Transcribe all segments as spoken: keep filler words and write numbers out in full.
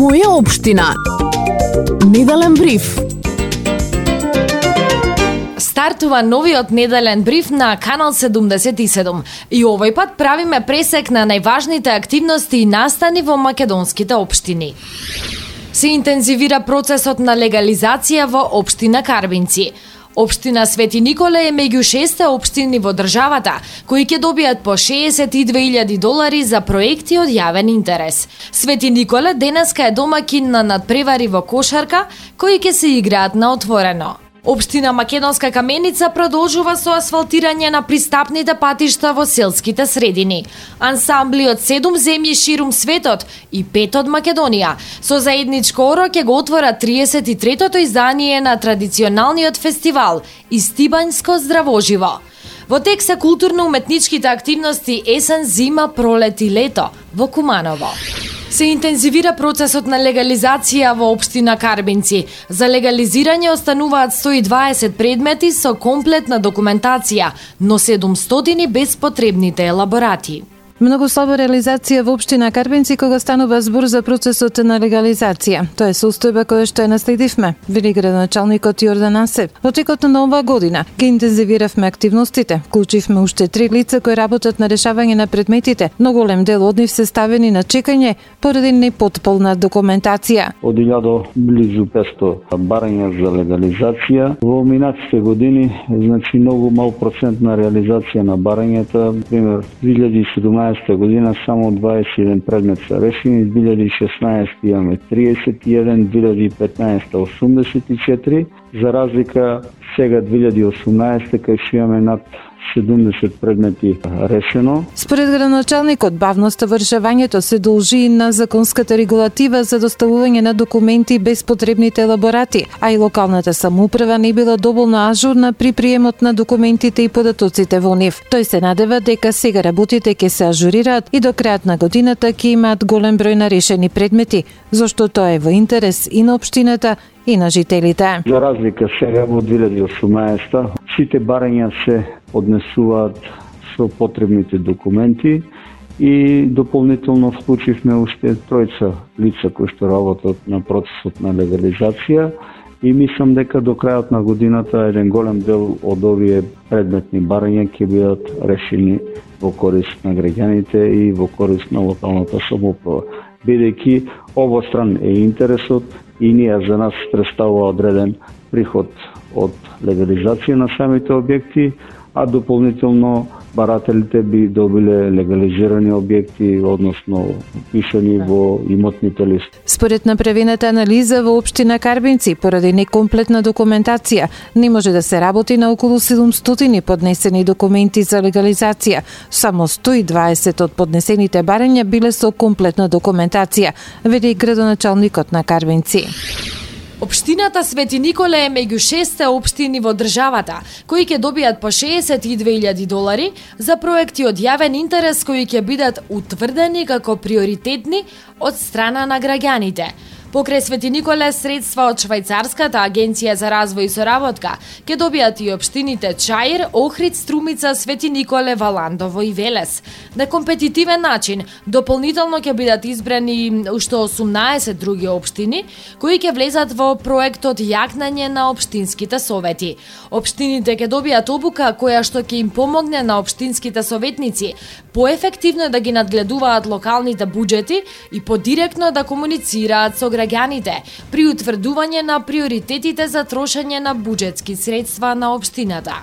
Моја општина. Неделен бриф. Стартува новиот неделен бриф на Канал седумдесет и седум и овој пат правиме пресек на најважните активности и настани во македонските општини. Се интензивира процесот на легализација во општина Карбинци. Општина Свети Николе е меѓу шесте општини во државата кои ќе добијат по шеесет и две илјади долари за проекти од јавен интерес. Свети Николе денеска е домакин на надпревари во кошарка кои ќе се играат на отворено. Општина Македонска Каменица продолжува со асфалтирање на пристапните патишта во селските средини. Ансамбли од седум земји ширум светот и пет од Македонија со заедничко оро ќе го отвора триесет и третото издание на традиционалниот фестивал Истибањско здравоживо. Во тек се културно-уметничките активности есен, зима, пролет и лето во Куманово. Се интензивира процесот на легализација во општина Карбинци. За легализирање остануваат сто и дваесет предмети со комплетна документација, но седумстотини без потребните елаборати. Многу слаба реализација во општина Карбинци кога станува збор за процесот на легализација. Тоа е состојба која што ја наследивме, вели градоначалникот Јордан Асев. Во текот на оваа година ги интензивиравме активностите, вклучивме уште три лица кои работат на решавање на предметите, но голем дел од нив се ставени на чекање поради непотполна документација. Од илјада близу петсто барања за легализација. Во минатите години, значи многу мал процент на реализација на барањата, пример две илјади и седумнаесета година само дваесет и еден предмет се решени, две илјади и шеснаесета имаме триесет и еден, две илјади и петнаесета осумдесет и четири, за разлика сега две илјади и осумнаесета кај што имаме над седумдесет предмети решено. Според градоначалникот, бавноста во решавањето се должи и на законската регулатива за доставување на документи без потребните елаборати, а и локалната самоуправа не била доволно ажурна при приемот на документите и податоците во нив. Тој се надева дека сега работите ќе се ажурираат и до крајот на годината ќе имаат голем број на решени предмети, зашто тоа е во интерес и на општината и на жителите. За разлика сега во две илјади и осумнаесета сите барања се поднесуваат со потребните документи и дополнително вклучивме уште тројца лица кои што работат на процесот на легализација и мислам дека до крајот на годината еден голем дел од овие предметни барања ќе бидат решени во корист на граѓаните и во корист на локалната самоуправа. Бидејќи обостран е интересот и ние за нас представува одреден приход од легализација на самите објекти, а дополнително барателите би добиле легализирани објекти, односно пишани во имотните листи. Според направената анализа во општина Карбинци, поради некомплетна документација, не може да се работи на околу седумстотини поднесени документи за легализација. Само сто и дваесет од поднесените барања биле со комплетна документација, вели градоначалникот на Карбинци. Општината Свети Николе е меѓу шесте општини во државата, кои ќе добијат по шеесет и две илјади долари за проекти од јавен интерес кои ќе бидат утврдени како приоритетни од страна на граѓаните. Покрај Свети Николе средства од Швајцарската агенција за развој и соработка ќе добијат и општините Чаир, Охрид, Струмица, Свети Николе, Валандово и Велес. На компетитивен начин дополнително ќе бидат избрани уште осумнаесет други општини кои ќе влезат во проектот Јакнање на општинските совети. Општините ќе добијат обука која што ќе им помогне на општинските советници поефективно да ги надгледуваат локалните буџети и подиректно да комуницираат со граѓаните при утврдување на приоритетите за трошење на буџетски средства на општината.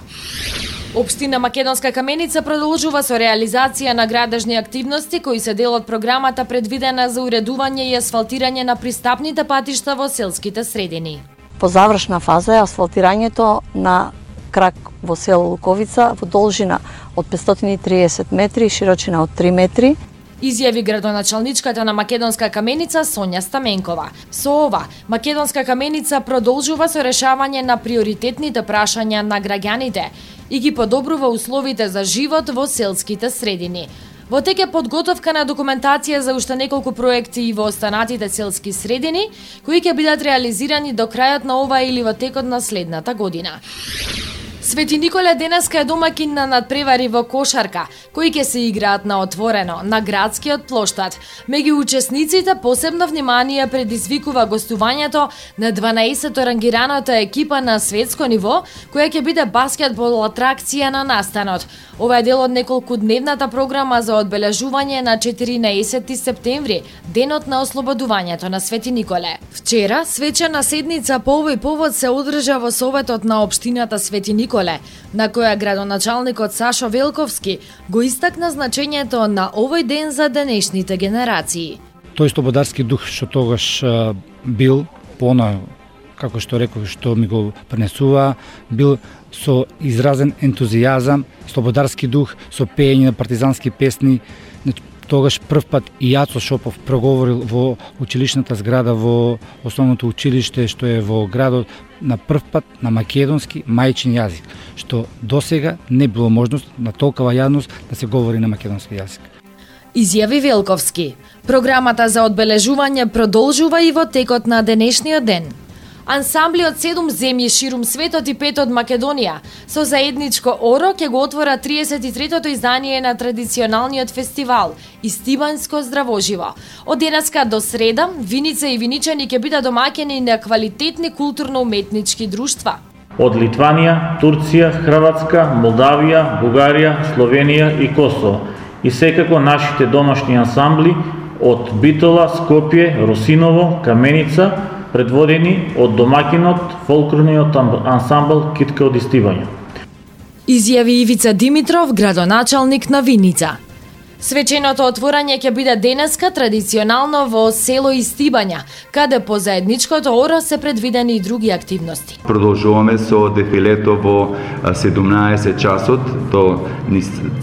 Општина Македонска Каменица продолжува со реализација на градежни активности кои се дел од програмата предвидена за уредување и асфалтирање на пристапните патишта во селските средини. По завршна фаза е асфалтирањето на крак во село Луковица во должина од петстотини и триесет метри и широчина од три метри. Изјави градоначалничката на Македонска Каменица Сонја Стаменкова. Со ова, Македонска Каменица продолжува со решавање на приоритетните прашања на граѓаните и ги подобрува условите за живот во селските средини. Во тек е подготовка на документација за уште неколку проекти и во останатите селски средини, кои ќе бидат реализирани до крајот на ова или во текот на следната година. Свети Николе денеска е домакин на надпревари во кошарка, кои ќе се играат на отворено, на градскиот плоштад. Меѓу учесниците посебно внимание предизвикува гостувањето на дванаесетто рангираната екипа на светско ниво, која ќе биде баскетбол атракција на настанот. Ова е дел од неколкудневната програма за одбележување на четиринаесети септември, денот на ослободувањето на Свети Николе. Вчера, свечена седница по овој повод се одржа во Советот на општината Свети Николе, на која градоначалникот Сашо Велковски го истакна значењето на овој ден за денешните генерации. Тој слободарски дух што тогаш а, бил пона, како што реков, што ми го пренесува, бил со изразен ентузијазам, слободарски дух, со пеење на партизански песни. Тогаш прв пат и Јацо Шопов проговорил во училишната зграда во основното училиште што е во градот на прв пат на македонски мајчин јазик, што досега не било можност на толкова јавност да се говори на македонски јазик. Изјави Велковски. Програмата за одбележување продолжува и во текот на денешниот ден. Ансамбли од седум земји ширум светот и пет од Македонија со заедничко оро ќе го отвора триесет и третото издание на традиционалниот фестивал Истибанско здравоживо. Од денеска до среда, Виница и виничани ќе бидат домаќени на квалитетни културно-уметнички друштва. Од Литванија, Турција, Хрватска, Молдавија, Бугарија, Словенија и Косово. И секако нашите домашни ансамбли од Битола, Скопје, Росиново, Каменица, предводени од домакинот фолклорниот ансамбл Китка од Истибања. Изјави Ивица Димитров, градоначалник на Виница. Свеченото отворање ќе биде денеска традиционално во село Истибања, каде по заедничкото оро се предвидени и други активности. Продолжуваме со дефилето во седумнаесет часот до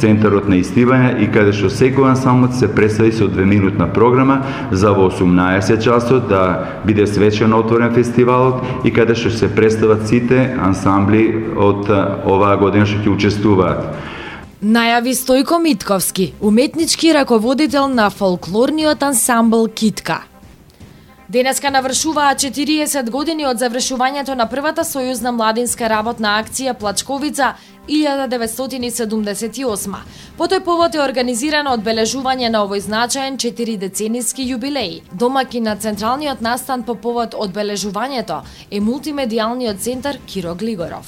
центарот на Истибања и каде што секој ансамбл се представи со двеминутна програма за во осумнаесет часот да биде свечено отворен фестивалот и каде што се представат сите ансамбли од оваа година што ќе учествуваат. Најави Стојко Митковски, уметнички раководител на фолклорниот ансамбл Китка. Денеска навршуваа четириесет години од завршувањето на првата сојузна младинска работна акција Плачковица илјада деветстотини седумдесет и осма. По тој повод е организирано одбележување на овој значаен четиридецениски юбилеј. Домаќин на централниот настан по повод одбележувањето е мултимедијалниот центар Киро Глигоров.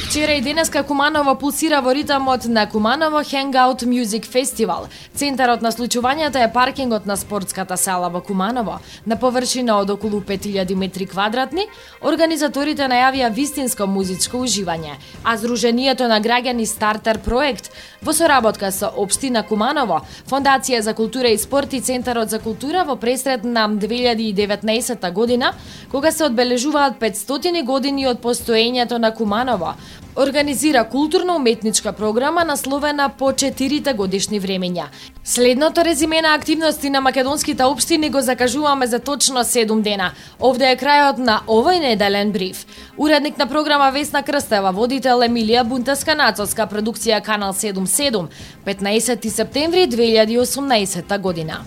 Вчера и денеска Куманово пулсира во ритамот на Куманово Hangout Music Festival. Центарот на случувањето е паркингот на спортската сала во Куманово, на површина од околу пет илјади метри квадратни. Организаторите најавија вистинско музичко уживање, а Сдруженијето на граѓани Стартер проект во соработка со Општина Куманово, Фондација за култура и спорт и Центарот за култура во пресред на две илјади и деветнаесетта година, кога се одбележуваат петстотини години од постоењето на Куманово, организира културно-уметничка програма насловена по четирите годишни времења. Следното резиме на активности на македонските општини го закажуваме за точно седум дена. Овде е крајот на овој неделен бриф. Уредник на програма Весна Крстева, водител Емилија Бунтеска-Нацовска, продукција Канал седумдесет и седум, петнаесети септември две илјади и осумнаесетта година.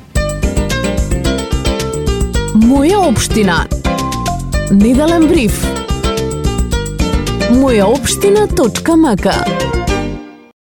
Моја општина. Неделен бриф. моја општина точка м к